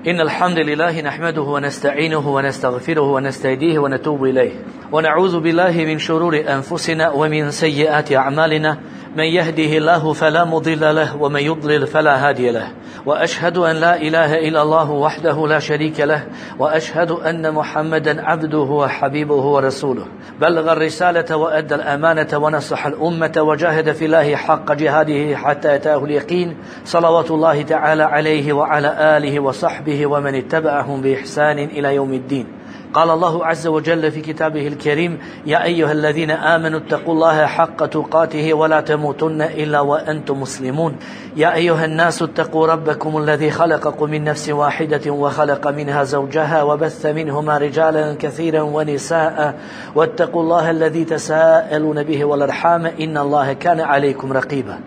إن الحمد لله نحمده ونستعينه ونستغفره ونستهديه ونتوب إليه ونعوذ بالله من شرور أنفسنا ومن سيئات أعمالنا من يهده الله فلا مضل له ومن يضلل فلا هادي له وأشهد أن لا إله إلا الله وحده لا شريك له وأشهد أن محمدا عبده وحبيبه ورسوله بلغ الرسالة وأدى الأمانة ونصح الأمة وجاهد في الله حق جهاده حتى أتاه اليقين صلوات الله تعالى عليه وعلى آله وصحبه ومن اتبعهم بإحسان إلى يوم الدين. قال الله عز وجل في كتابه الكريم: يا أيها الذين آمنوا اتقوا الله حق تقاته ولا تموتن إلا وأنتم مسلمون. يا أيها الناس اتقوا ربكم الذي خلقكم من نفس واحدة وخلق منها زوجها وبث منهما رجالا كثيرا ونساء واتقوا الله الذي تساءلون به والأرحام إن الله كان عليكم رقيبا.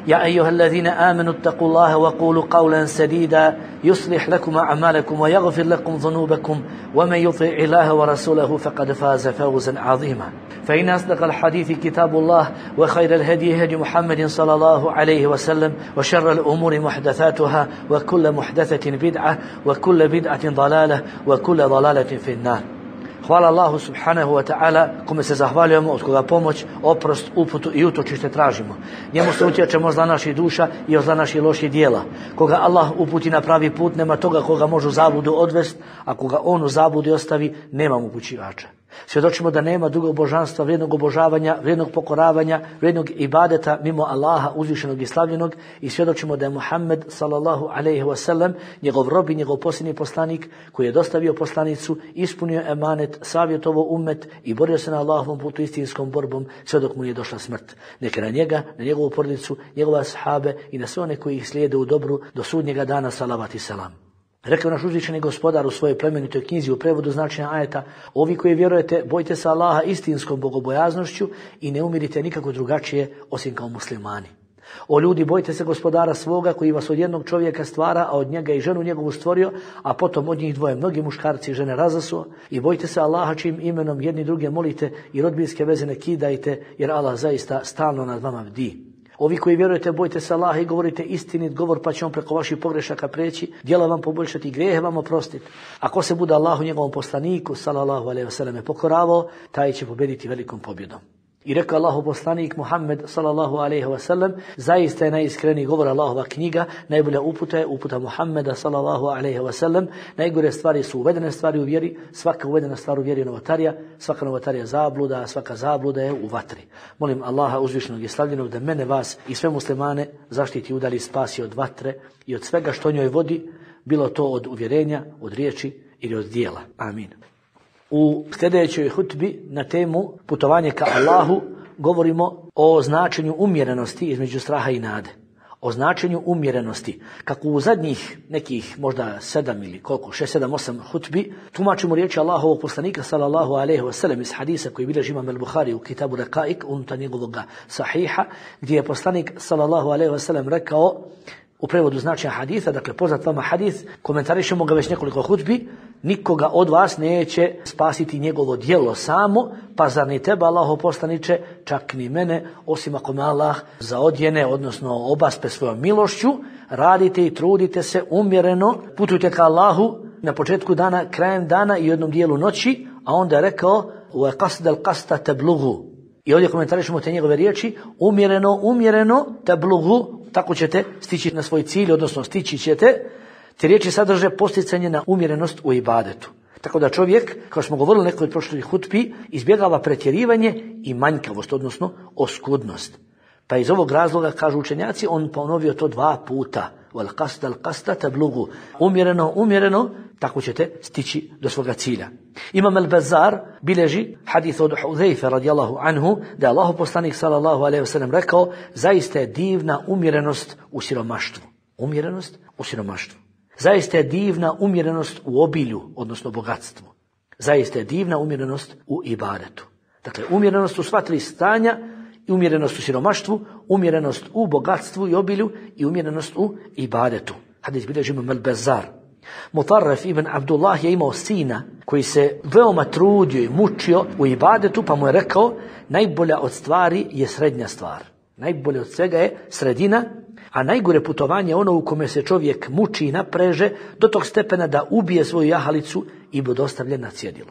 يا أيها الذين آمنوا اتقوا الله وقولوا قولا سديدا يصلح لكم أعمالكم ويغفر لكم ذنوبكم ومن يطع الله ورسوله فقد فاز فوزا عظيما. فإن أصدق الحديث كتاب الله وخير الهدي هدي محمد صلى الله عليه وسلم وشر الأمور محدثاتها وكل محدثة بدعة وكل بدعة ضلالة وكل ضلالة في النار. Hvala Allahu subhanahu wa ta'ala, kome se zahvaljujemo, od koga pomoć, oprost, uputu i utočište tražimo. Njemu se utječemo zla naših duša i od zla naših loših dijela. Koga Allah uputi na pravi put, nema toga koga može u zabludu odvest, a koga on u zabludi ostavi, nema upućivača. Svjedočimo da nema drugog božanstva, vrijednog obožavanja, vrijednog pokoravanja, vrijednog ibadeta mimo Allaha uzvišenog i slavljenog, i svjedočimo da je Muhammed sallallahu alejhi ve sellem njegov rob i njegov posljednji poslanik koji je dostavio poslanicu, ispunio emanet, savjetovao ummet i borio se na Allahovom putu istinskom borbom sve dok mu nije došla smrt. Neka na njega, na njegovu porodicu, njegove ashabe i na sve one koji ih slijede u dobru do sudnjega dana, salavat i selam. Rekao naš uzvišeni gospodar u svojoj plemenitoj knjizi u prevodu značenja ajeta: ovi koji vjerujete, bojte se Allaha istinskom bogobojaznošću i ne umirite nikako drugačije osim kao muslimani. O ljudi, bojte se gospodara svoga koji vas od jednog čovjeka stvara, a od njega i ženu njegovu stvorio, a potom od njih dvoje mnogi muškarci i žene razasuo. I bojte se Allaha čijim imenom jedni druge molite i rodbinske veze ne kidajte, jer Allah zaista stalno nad vama bdi. Ovi koji vjerujete, bojte se Allaha i govorite istinit govor, pa će on preko vaših pogrešaka preći, djela vam poboljšati, grijehe vam oprostiti. Ako se bude Allahu njegovom poslaniku sallallahu alejhi ve selleme pokoravao, taj će pobjediti velikom pobjedom. I rekao Allahu poslanik Muhammed sallallahu alejhi ve sellem: zaista je najiskreniji govor Allahova knjiga, najbolja uputa je uputa Muhammeda sallallahu alejhi ve sellem. Najgore stvari su uvedene stvari u vjeri, svaka uvedena stvar u vjeri je novotarija, svaka novotarija zabluda, a svaka zabluda je u vatri. Molim Allaha uzvišenog i slavljenog da mene, vas i sve muslimane zaštiti, udali, spasi od vatre i od svega što njoj vodi, bilo to od uvjerenja, od riječi ili od djela. Amin. U sljedećoj hutbi na temu putovanje ka Allahu govorimo o značenju umjerenosti između straha i nade. O značenju umjerenosti. Kako u zadnjih nekih možda 7 ili koliko, 6, 7, 8 hutbi tumačimo riječi Allahovog poslanika sallallahu alejhi ve sellem iz hadisa koji bilježi imam al-Buhari u kitabu Raqaik unutar njegovog sahiha, gdje je poslanik sallallahu alejhi ve sellem rekao u prevodu značenja haditha, dakle poznat vama hadith, komentarišemo ga već nekoliko hutbi: nikoga od vas neće spasiti njegovo djelo samo, pa zar ni tebe, Allahov poslaniče, čak ni mene, osim ako me Allah zaodjene, odnosno obaspe svojom milošću. Radite i trudite se umjereno, putujte ka Allahu na početku dana, krajem dana i jednom dijelu noći, a onda je rekao: wa qasdal qasta tablughu. I ovdje komentarišemo te njegove riječi: umjereno tablughu, tako ćete stići na svoj cilj, odnosno stići ćete. Te riječi sadrže posticanje na umjerenost u ibadetu. Tako da čovjek, kao smo govorili nekoj prošlih hutbi, izbjegava pretjerivanje i manjkavost, odnosno oskudnost. Pa iz ovog razloga, kažu učenjaci, on ponovio to 2 puta. Wal qasdal qasta tablughu. Umjereno, tako ćete stići do svoga cilja. Imam al-Bazzar bilježi hadith od Hudhejfe radijallahu anhu da je Allahov poslanik sallallahu alejhi ve sellem rekao: zaista je divna umjerenost u siromaštvu. Umjerenost u siromaštvu. Zaista je divna umjerenost u obilju, odnosno bogatstvu. Zaista je divna umjerenost u ibadetu. Dakle, umjerenost u sva 3 stanja, i umjerenost u siromaštvu, umjerenost u bogatstvu i obilju i umjerenost u ibadetu. Hadis bilježi imam al-Bazzar. Mutarref ibn Abdullah je imao sina koji se veoma trudio i mučio u ibadetu, pa mu je rekao: najbolja od stvari je srednja stvar. Najbolje od svega je sredina, A najgore putovanje je ono u kome se čovjek muči i napreže do tog stepena da ubije svoju jahalicu i bude ostavljen na cjedilu.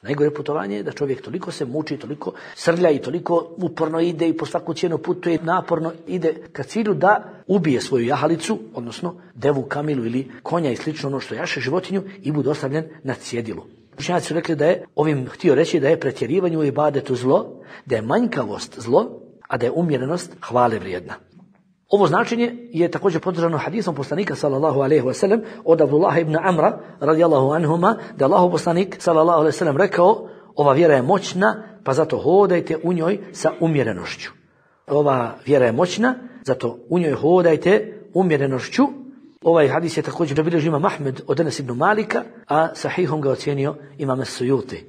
Najgore putovanje je da čovjek toliko se muči, toliko srlja i toliko uporno ide i po svaku cijenu putuje, naporno ide ka cilju da ubije svoju jahalicu, odnosno devu, kamilu ili konja i slično ono što jaše životinju i bude ostavljen na cjedilu. Učenjaci su rekli da je ovim htio reći da je pretjerivanje u ibadetu zlo, da je manjkavost zlo, a da je umjerenost hvale vrijedna. Ovo značenje je također podržano hadisom poslanika sallallahu alejhi ve sellem od Abdullah ibn Amra radijallahu anhuma, da je Allahov poslanik sallallahu alejhi ve sellem rekao: ova vjera je moćna, pa zato hodajte u njoj sa umjerenošću. Ova vjera je moćna, zato u njoj hodajte umjerenošću. Ovaj hadis je također zabilježio imam Ahmed od Enes ibn Malika, a sahihom ga ocjenio imam As-Sujuti.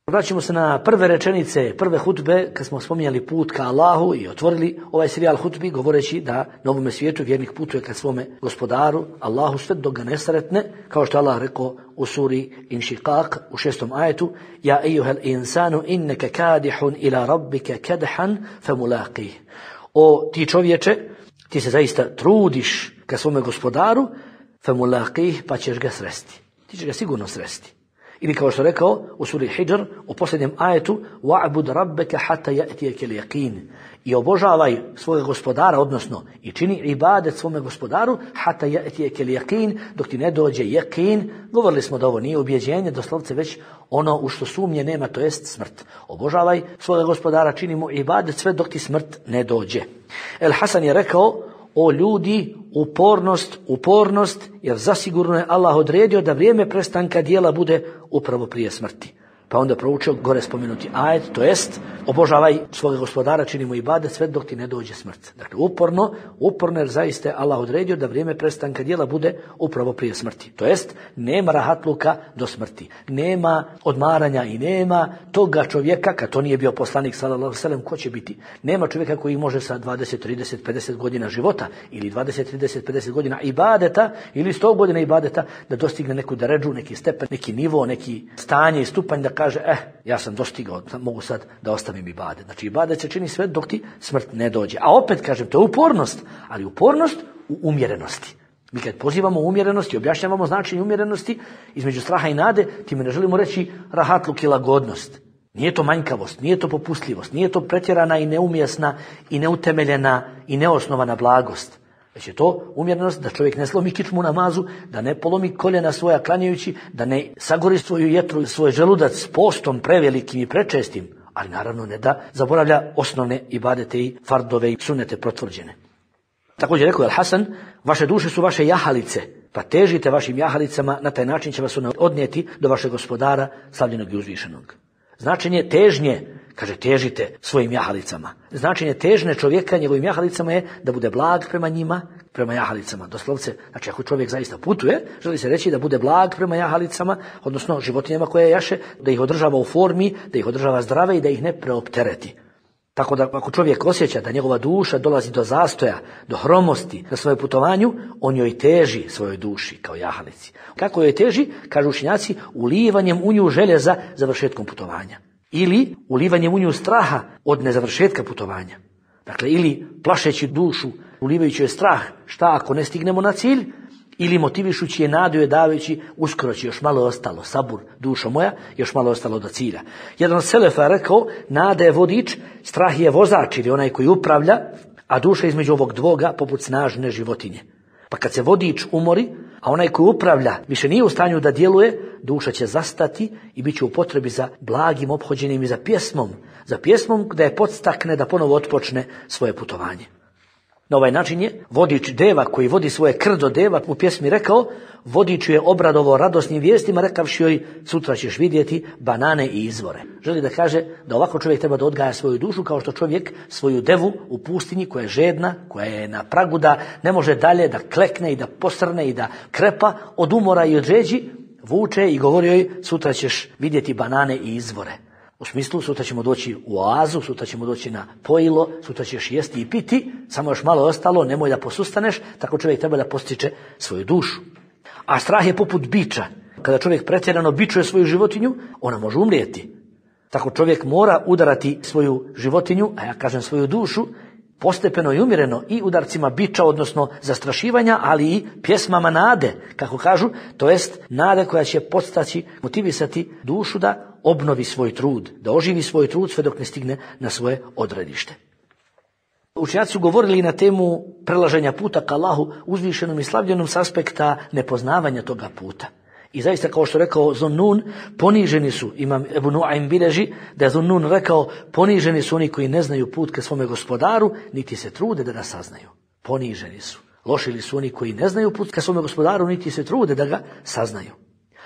Vraćamo se na prve rečenice, prve hutbe, kad smo spominjali put ka Allahu i otvorili ovaj serijal hutbi govoreći da na ovome svijetu vjernik putuje ka svome gospodaru, Allahu, sve dok ga ne sretne, kao što Allah rekao u suri Inšiqaq u 6. ajetu: Ja ejuhel insanu inneke kadihun ila rabbike kadhan famulaqih. O ti čovječe, ti se zaista trudiš ka svome gospodaru, famulaqih, pa ćeš ga sresti. Ti ćeš ga sigurno sresti. Ili kao što rekao u suri Hidr u posljednjem ajetu: wa'bud rabbaka hatta ya'tiyaka al-yaqin. I obožavaj svojeg gospodara, odnosno i čini ibadet svome gospodaru hatta ya'tiyaka al-yaqin, dok ti ne dođe yaqin. Govorili smo da ovo nije ubjeđenje, doslovce već ono u što sumnje nema, to jest smrt. Obožavaj svojeg gospodara, čini mu ibadet sve dok ti smrt ne dođe. El Hasan je rekao: o ljudi, upornost, jer zasigurno je Allah odredio da vrijeme prestanka dijela bude upravo prije smrti. Pa onda proučio gore spomenuti ajet, to jest obožavaj svoga gospodara, čini mu ibadet sve dok ti ne dođe smrt. Dakle, uporno jer zaista je Allah odredio da vrijeme prestanka dijela bude upravo prije smrti. To jest, nema rahatluka do smrti, nema odmaranja i nema toga čovjeka, kad to nije bio poslanik sallallahu alejhi ve sellem, ko će biti? Nema čovjeka koji može sa 20, 30, 50 godina života ili 20, 30, 50 godina ibadeta ili 100 godina ibadeta da dostigne neku deredžu, neki stepen, neki nivo, neki stanje i stupanj da kaže: ja sam dostigao, mogu sad da ostavim ibadet. Znači ibadet se čini sve dok ti smrt ne dođe. A opet kažem, to je upornost, ali upornost u umjerenosti. Mi kad pozivamo umjerenosti, objašnjavamo značenje umjerenosti između straha i nade, time ne želimo reći rahatluk i lagodnost. Nije to manjkavost, nije to popustljivost, nije to pretjerana i neumjesna i neutemeljena i neosnovana blagost. Već je to umjerenost da čovjek ne slomi kičmu u namazu, da ne polomi koljena svoja klanjajući, da ne sagori svoju jetru, svoj želudac s postom prevelikim i prečestim, ali naravno ne da zaboravlja osnovne ibadete i fardove i sunnete potvrđene. Također rekao Al-Hasan: vaše duše su vaše jahalice, pa težite vašim jahalicama, na taj način će vas ona odnijeti do vašeg gospodara, slavljenog i uzvišenog. Značenje težnje, kaže, težite svojim jahalicama. Značenje težne čovjeka njegovim jahalicama je da bude blag prema njima, prema jahalicama. Doslovce, znači ako čovjek zaista putuje, želi se reći da bude blag prema jahalicama, odnosno životinjama koje jaše, da ih održava u formi, da ih održava zdrave i da ih ne preoptereti. Tako da ako čovjek osjeća da njegova duša dolazi do zastoja, do hromosti na svojem putovanju, on joj teži svojoj duši kao jahalici. Kako joj teži? Kažu učenjaci, ulivanjem u nju želje za završetkom putovanja. Ili ulivanjem u nju straha od nezavršetka putovanja. Dakle, ili plašeći dušu, ulivajući je strah, šta ako ne stignemo na cilj, ili motivišući je nadu je davajući, uskoro će još malo ostalo, sabur, dušo moja, još malo ostalo do cilja. Jedan od selefa je rekao: nada je vodič, strah je vozač ili onaj koji upravlja, a duša između ovog dvoga poput snažne životinje. Pa kad se vodič umori, a onaj koji upravlja više nije u stanju da djeluje, duša će zastati i bit će u potrebi za blagim ophođenjem i za pjesmom da je podstakne da ponovo otpočne svoje putovanje. Na ovaj način je vodič deva koji vodi svoje krdo deva u pjesmi rekao: vodiču je obradovo radosnim vijestima rekavši joj: sutra ćeš vidjeti banane i izvore. Želi da kaže da ovako čovjek treba da odgaja svoju dušu kao što čovjek svoju devu u pustinji koja je žedna, koja je na pragu da ne može dalje, da klekne i da posrne i da krepa od umora i od žeđi, vuče i govori joj: sutra ćeš vidjeti banane i izvore. U smislu, sutra ćemo doći u oazu, sutra ćemo doći na pojilo, sutra ćeš jesti i piti, samo još malo ostalo, nemoj da posustaneš. Tako čovjek treba da postiče svoju dušu. A strah je poput biča. Kada čovjek pretjerano bičuje svoju životinju, ona može umrijeti. Tako čovjek mora udarati svoju životinju, a ja kažem svoju dušu, postepeno i umjereno i udarcima biča, odnosno zastrašivanja, ali i pjesmama nade, kako kažu, to jest nade koja će podstaći, motivisati dušu da obnovi svoj trud, da oživi svoj trud sve dok ne stigne na svoje odredište. Učenjaci su govorili na temu prelaženja puta ka Allahu uzvišenom i slavljenom s aspekta nepoznavanja toga puta. I zaista, kao što rekao Zunnun, poniženi su, imam Ebu Nuaym bilježi, da je Zunnun rekao, poniženi su oni koji ne znaju put ka svome gospodaru, niti se trude da ga saznaju. Poniženi su. Lošili su oni koji ne znaju put ka svome gospodaru, niti se trude da ga saznaju.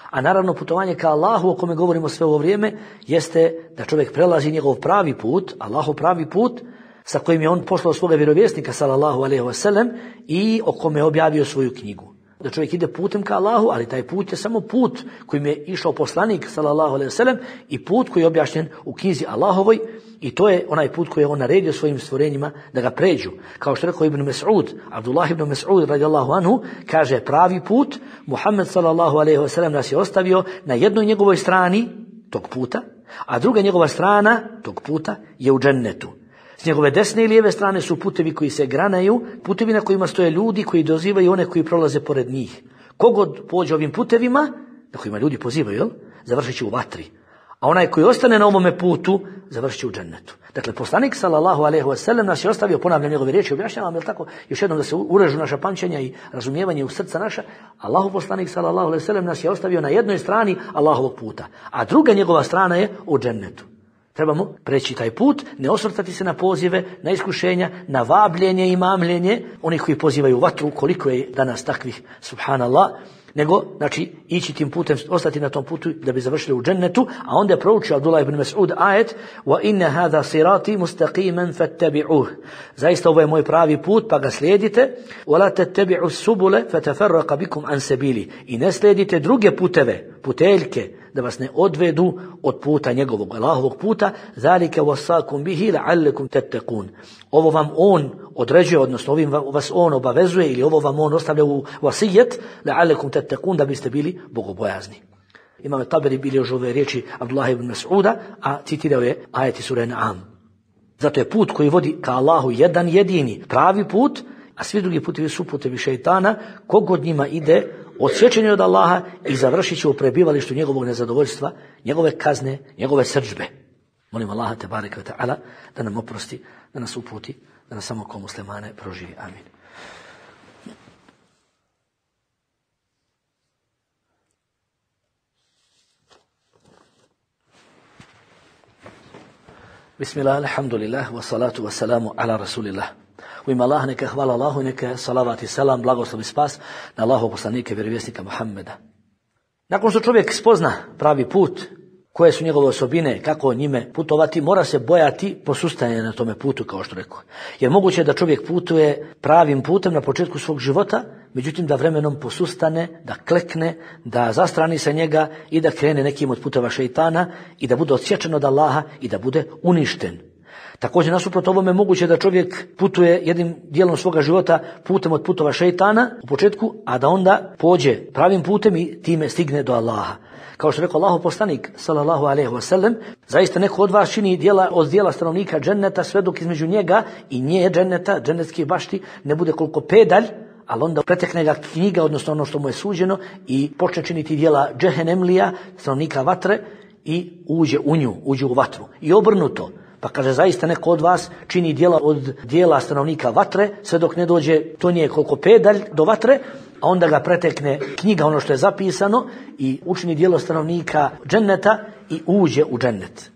A naravno putovanje ka Allahu, o kome govorimo sve ovo vrijeme, jeste da čovjek prelazi njegov pravi put, Allahov pravi put, sa kojim je on poslao svoga vjerovjesnika sallallahu alejhi ve sellem i o kome je objavio svoju knjigu. Da čovjek ide putem ka Allahu, ali taj put je samo put kojim je išao poslanik sallallahu alejhi ve sellem i put koji je objašnjen u knjizi Allahovoj, i to je onaj put koji je on naredio svojim stvorenjima da ga pređu. Kao što je rekao Ibn Mas'ud, Abdullah ibn Mas'ud radijallahu anhu, kaže pravi put, Muhammed sallallahu alejhi ve sellem nas je ostavio na jednoj njegovoj strani tog puta, a druga njegova strana tog puta je u džennetu. S njegove desne i lijeve strane su putevi koji se granaju, putevi na kojima stoje ljudi koji dozivaju one koji prolaze pored njih. Kogod pođe ovim putevima, na kojima ljudi pozivaju, završit će u vatri. A onaj koji ostane na ovome putu, završit će u džennetu. Dakle, poslanik sallallahu alejhi ve sellem nas je ostavio, ponavljam njegove riječi, objašnjavam, jel tako, još jednom da se urežu naša pamćenja i razumijevanje u srca naša. Allahov poslanik sallallahu alejhi ve sellem nas je ostavio na jednoj strani Allahovog puta, a druga njegova strana je u džennetu. Trebamo preći taj put, ne osvrtati se na pozive, na iskušenja, na vabljenje i mamljenje onih koji pozivaju vatru, koliko je danas takvih, subhanallah, nego, znači, ići tim putem, ostati na tom putu da bi završili u džennetu, a onda je proučio Abdullah ibn Mas'ud ajet وَإِنَّ هَذَا صِرَاطِ مُسْتَقِيمًا فَاتَّبِعُوهُ. Zaista ovo je moj pravi put, pa ga slijedite. وَلَا تَتَّبِعُوا السُّبُلَ فَتَفَرَّقَ بِكُمْ عَنْ سَبِيلِهِ. I ne slijedite druge puteve, puteljke, da vas ne odvedu od puta njegovog, Allahovog puta. ذَلِكَ وَصَّاكُمْ بِهِ لَعَلَّكُمْ تَتَّقُونَ. Ovo vam on određuje, odnosno ovim vas on obavezuje, ili ovo vam on ostavlja u vasijet, لَعَلَّكُمْ تَتَّقُونَ, da biste bili bogobojazni. Imam Taberi bilježi ove riječi Abdullah ibn Mas'uda, a citirao je ajeti sure An'am. Zato je put koji vodi ka Allahu jedan jedini, pravi put, a svi drugi putevi su putevi šejtana. Kogod njima ide, odsječen je od Allaha i završit će u prebivalištu njegovog nezadovoljstva, njegove kazne, njegove srdžbe. Molim Allaha tebareke ve ta'ala da nam oprosti, da nas uputi, da nas samo kao muslimane proživi. Amin. Bismillah, alhamdulillah, wa salatu wa salamu ala rasulillah. U ime Allah, neka hvala Allahu, neka salavat i salam, blagoslov i spas na Allahov poslanika i vjerovjesnika Muhammeda. Nakon što čovjek spozna pravi put, koje su njegove osobine, kako njime putovati, mora se bojati posustajanja na tome putu, kao što rekao. Jer moguće je da čovjek putuje pravim putem na početku svog života, međutim da vremenom posustane, da klekne, da zastrani sa njega i da krene nekim od puteva šejtana i da bude odsječen od Allaha i da bude uništen. Također, nasuprot ovome, moguće da čovjek putuje jednim dijelom svoga života putem od putova šejtana u početku, a da onda pođe pravim putem i time stigne do Allaha. Kao što je rekao Allahov poslanik sallallahu alejhi ve sellem, zaista neko od vas čini djela od djela stanovnika dženneta sve dok između njega i nje dženneta, džennetskih bašti, ne bude koliko pedalj, ali onda pretekne ga knjiga, odnosno ono što mu je suđeno, i počne činiti djela džehennemlija, stanovnika vatre, i uđe u nju, uđe u vatru. I obrnuto. Pa kaže, zaista neko od vas čini djela od djela stanovnika vatre, sve dok ne dođe to nije koliko pedalj do vatre, a onda ga pretekne knjiga, ono što je zapisano, i učini djelo stanovnika dženneta i uđe u džennet.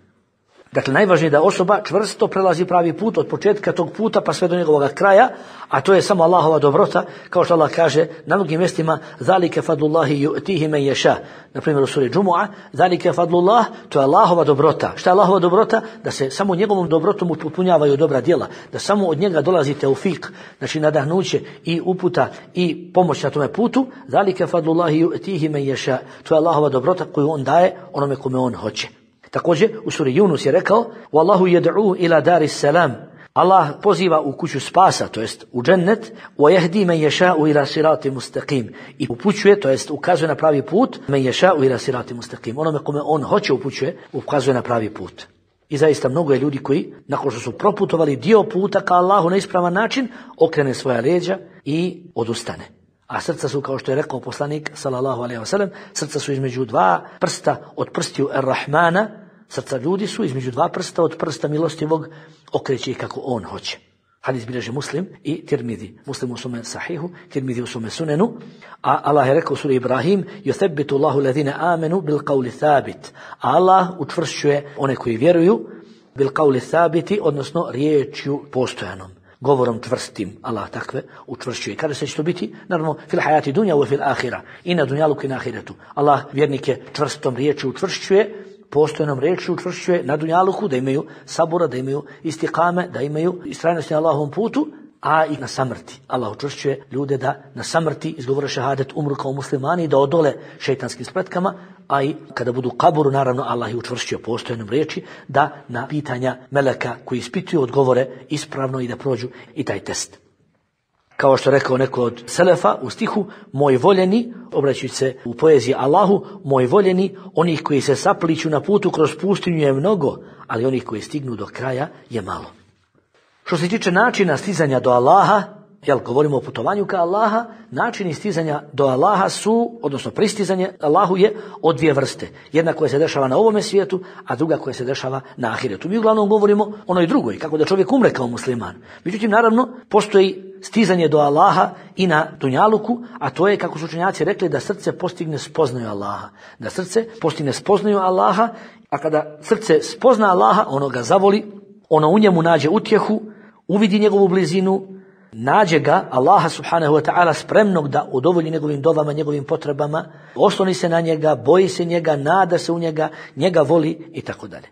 Dakle, najvažnije je da osoba čvrsto prelazi pravi put od početka tog puta pa sve do njegovog kraja, a to je samo Allahova dobrota, kao što Allah kaže na mnogim mjestima, zalike fadlullahi yu'tihi men yasha. Na primjer u suri Džumu'a, zalike fadlullah, to je Allahova dobrota. Šta je Allahova dobrota? Da se samo njegovom dobrotom upotpunjavaju dobra djela, da samo od njega dolazi teufik, znači nadahnuće i uputa i pomoć na tome putu. Zalike fadlullahi yu'tihi men yasha. To je Allahova dobrota koju on daje onome kome on hoće. Također u suri Yunus je rekao: "Wallahu yad'u ila daris salam." Allah poziva u kuću spasa, to jest u džennet, wa yahdi man yasha'u ila siratin mustaqim. I upućuje, to jest ukazuje na pravi put, man yasha'u ila siratin mustaqim. Onome kome on hoće upućuje, ukazuje na pravi put. I zaista mnogo je ljudi koji, nakon što su proputovali dio puta ka Allahu na ispravan način, okrene svoja leđa i odustane. A srca su, kao što je rekao poslanik sallallahu alejhi ve sellem, srca su između dva prsta od prstiju Ar-Rahmana, srca ljudi su između dva prsta od prsta milostivog, okreće ih kako on hoće. Hadis bilježi Muslim i Tirmidhi. Muslim u svome sahihu, Tirmidhi u svome sunenu. A Allah je rekao u suri Ibrahim: "Yuthabbitu Allahu alladhina amanu bil qawli thabit." Allah učvršćuje one koji vjeruju bil qawli thabiti, odnosno riječju postojanom, govorom čvrstim. Allah takve učvršćuje. Kada će to biti? Naravno, fil hayati dunya wa fil akhirah. I na dunjaluku i na ahiretu. Allah vjernike čvrstom riječju učvršćuje, postojanom riječju učvršćuje na dunjaluku, da imaju sabura, da imaju istiqame, da imaju istrajnosti na Allahovom putu, a i na samrti. Allah učvršćuje ljude da na samrti izgovore šehadet, umru kao muslimani, da odole šejtanskim spletkama, a i kada budu u kaburu, naravno Allah je učvršćio postojanom riječi, da na pitanja meleka koji ispituju odgovore ispravno i da prođu i taj test. Kao što je rekao neko od selefa u stihu: "Moj voljeni", obraćajući se u poeziji Allahu, "moj voljeni, onih koji se sapliću na putu kroz pustinju je mnogo, ali onih koji stignu do kraja je malo." Što se tiče načina stizanja do Allaha, govorimo o putovanju ka Allaha, načini stizanja do Allaha su, odnosno pristizanje Allahu je od dvije vrste. Jedna koja se dešava na ovome svijetu, a druga koja se dešava na ahiretu. Mi uglavnom govorimo onoj drugoj, kako da čovjek umre kao musliman. Međutim, naravno, postoji stizanje do Allaha i na dunjaluku, a to je, kako su učenjaci rekli, da srce postigne spoznaju Allaha. Da srce postigne spoznaju Allaha, a kada srce spozna Allaha, ono ga zavoli, ono u njemu nađe utjehu, uvidi njegovu blizinu, nađe ga Allaha subhanahu wa ta'ala spremnog da udovolji njegovim dovama, njegovim potrebama, osloni se na njega, boji se njega, nada se u njega, njega voli i tako dalje.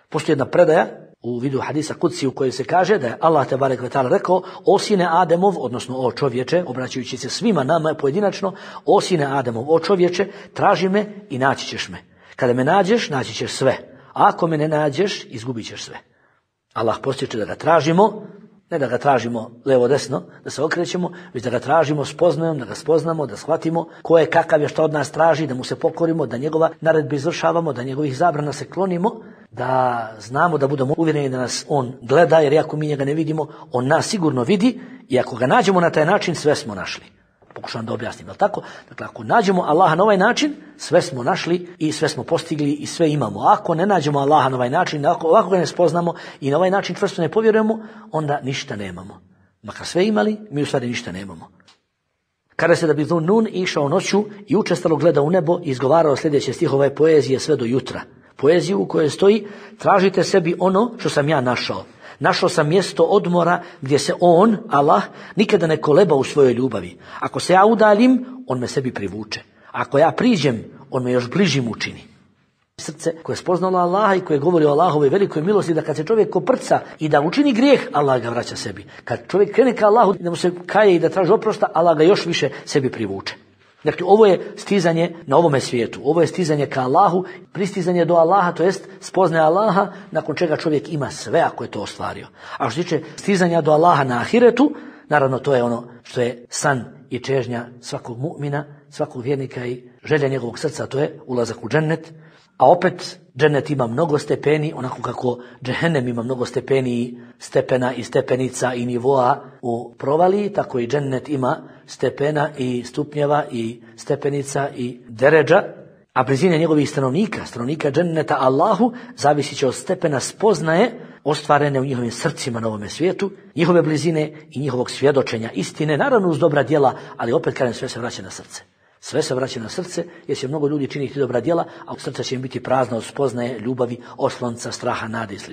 Postoji jedna predaja u vidu hadisa Kudsi u kojoj se kaže da je Allah tebarek ve ta'ala rekao: "O sine Ademov", odnosno o čovječe, obraćajući se svima nama pojedinačno: "O sine Ademov, o čovječe, traži me i naći ćeš me. Kada me nađeš, naći ćeš sve. A ako me ne nađeš, izgubit ćeš sve." Allah postiče da ga tražimo, ne da ga tražimo levo desno, da se okrećemo, već da ga tražimo spoznajom, da ga spoznamo, da shvatimo ko je, kakav je, što od nas traži, da mu se pokorimo, da njegova naredbe izvršavamo, da njegovih zabrana se klonimo, da znamo, da budemo uvjereni da nas on gleda, jer ako mi njega ne vidimo, on nas sigurno vidi, i ako ga nađemo na taj način, sve smo našli. Pokušavam da objasnim, jel tako? Dakle, ako nađemo Allaha na ovaj način, sve smo našli i sve smo postigli i sve imamo. Ako ne nađemo Allaha na ovaj način, ako ga ne spoznamo i na ovaj način čvrsto ne povjerujemo, onda ništa nemamo. Makar sve imali, mi u stvari ništa nemamo. Kada se da bi Nun išao noću i učestalo gleda u nebo i izgovarao sljedeće stihove poezije sve do jutra. Poeziju u kojoj stoji: "Tražite sebi ono što sam ja našao. Našao sam mjesto odmora gdje se on, Allah, nikada ne koleba u svojoj ljubavi. Ako se ja udaljim, on me sebi privuče. Ako ja priđem, on me još bližim učini." Srce koje je spoznalo Allaha i koje govori o Allahovoj velikoj milosti, da kad se čovjek koprca i da učini grijeh, Allah ga vraća sebi. Kad čovjek krene ka Allahu, da mu se kaje i da traži oprosta, Allah ga još više sebi privuče. Dakle, ovo je stizanje na ovome svijetu. Ovo je stizanje ka Allahu, pristizanje do Allaha, to jest spoznaje Allaha, nakon čega čovjek ima sve ako je to ostvario. A što se tiče stizanja do Allaha na ahiretu, naravno to je ono što je san i čežnja svakog mu'mina, svakog vjernika i želja njegovog srca, to je ulazak u džennet. A opet, džennet ima mnogo stepeni, onako kako džehennem ima mnogo stepeni, stepena i stepenica i nivoa u provaliji, tako i džennet ima stepena i stupnjeva i stepenica i deredža, a blizine njegovih stanovnika dženneta Allahu, zavisit će od stepena spoznaje ostvarene u njihovim srcima na ovome svijetu, njihove blizine i njihovog svjedočenja istine, naravno uz dobra djela, ali opet kažem, sve se vraća na srce. Sve se vraća na srce, jer će mnogo ljudi činiti dobra djela, a srce će im biti prazno od spoznaje, ljubavi, oslonca, straha, nade i sl.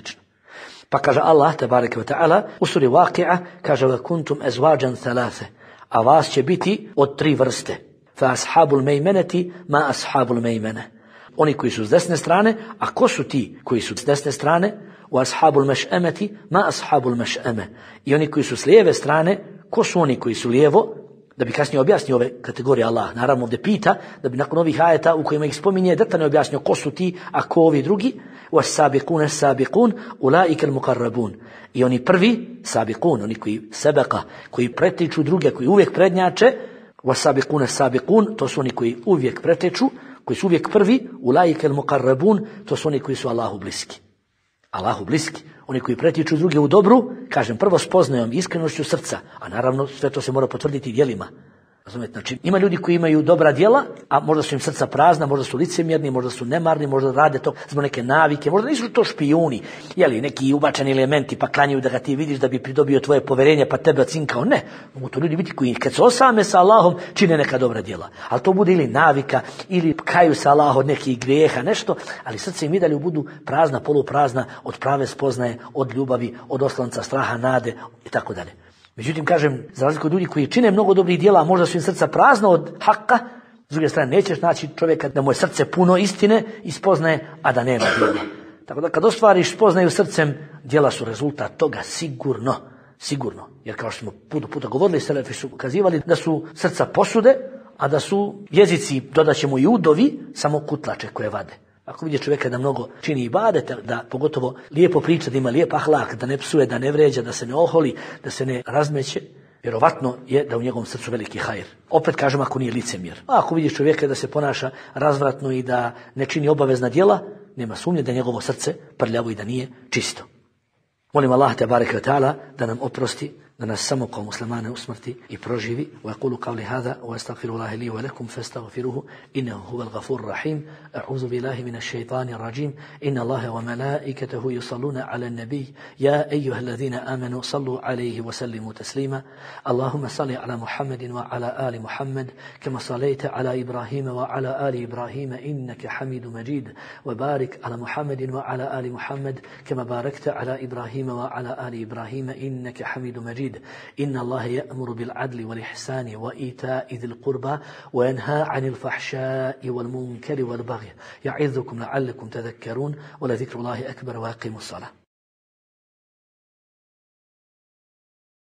Pa kaže Allah, tebareke ve ta'ala, u suri Waqi'a, kaže: "Wa kuntum azwajan thalatha", a vas će biti od tri vrste. Fa ashabul mejmeneti ma ashabul mejmene. Oni koji su s desne strane, a ko su ti koji su s desne strane? U ashabul meš'emeti ma ashabul meš'eme. I oni koji su s lijeve strane, ko su oni koji su lijevo? Da bi kasnije objasnio ove kategorije Allah. Naravno ovdje pita, da bi nakon ovih ajeta u kojima ih spominje detaljno objasnio ko su ti, a ko ovi drugi. Was-sabiqun as-sabiqun ulaika al-muqarrabun. I oni prvi, sabiqun, oni koji sebeka, koji pretiču druge, koji uvijek prednjače, was-sabiqun as-sabiqun, to su oni koji uvijek preteču, koji su uvijek prvi, ulaika al-muqarrabun, to su oni koji su Allahu bliski. Allahu bliski, oni koji pretiču druge u dobru, kažem, prvo spoznajom, iskrenošću srca, a naravno sve to se mora potvrditi djelima. Razumete? Znači, ima ljudi koji imaju dobra djela, a možda su im srca prazna, možda su licemjerni, možda su nemarni, možda rade to zbog neke navike, možda nisu to špijuni, neki ubačeni elementi pa klanjaju da ga ti vidiš da bi pridobio tvoje poverenje pa tebe cinkao. Ne, mogu to ljudi biti koji kad se osame sa Allahom čine neka dobra djela. Ali to bude ili navika, ili kaju sa Allahom od nekih grijeha, nešto, ali srce im i dalje budu prazna, poluprazna od prave spoznaje, od ljubavi, od oslanca, straha, nade i tako dalje. Međutim, kažem, za razliku od ljudi koji čine mnogo dobrih djela, a možda su im srca prazno od haka, s druge strane nećeš naći čovjeka da mu je srce puno istine i spoznaje, a da nema djela. Tako da kad ostvariš spoznaju srcem, djela su rezultat toga sigurno. Jer kao što smo puta govorili, selefi su ukazivali da su srca posude, a da su jezici, dodat ćemo i udovi, samo kutlače koje vade. Ako vidi čovjeka da mnogo čini ibadete, da pogotovo lijepo priča, da ima lijep ahlak, da ne psuje, da ne vređa, da se ne oholi, da se ne razmeće, vjerovatno je da u njegovom srcu veliki hajr. Opet kažem, ako nije licemjer. A ako vidiš čovjeka da se ponaša razvratno i da ne čini obavezna djela, nema sumnje da je njegovo srce prljavo i da nije čisto. Molim Allah te bareke ve taala da nam oprosti, da nas samo kao muslimane usmrti i proživi. Wa aqulu qawli hadha wa astaghfirullaha li wa lakum fastaghfiruhu innahu huwal ghafurur rahim. A'udhu billahi minash shaitanir rajim. Inna Allaha wa malaikatahu yusalluna 'alan nabiy ya ayyuhalladhina amanu sallu 'alayhi wa sallimu taslima. Allahumma salli 'ala Muhammadin wa 'ala ali Muhammad kama sallaita 'ala Ibrahim wa 'ala ali Ibrahim innaka Hamidum Majid. Wa barik 'ala Muhammadin wa 'ala ali Muhammad kama barakta 'ala Ibrahim wa 'ala ali Ibrahim innaka Hamidum Majid. إن الله يأمر بالعدل والإحسان وإيتاء ذي القربى وينهى عن الفحشاء والمنكر والبغي يعظكم لعلكم تذكرون ولذكر الله أكبر وأقيموا الصلاة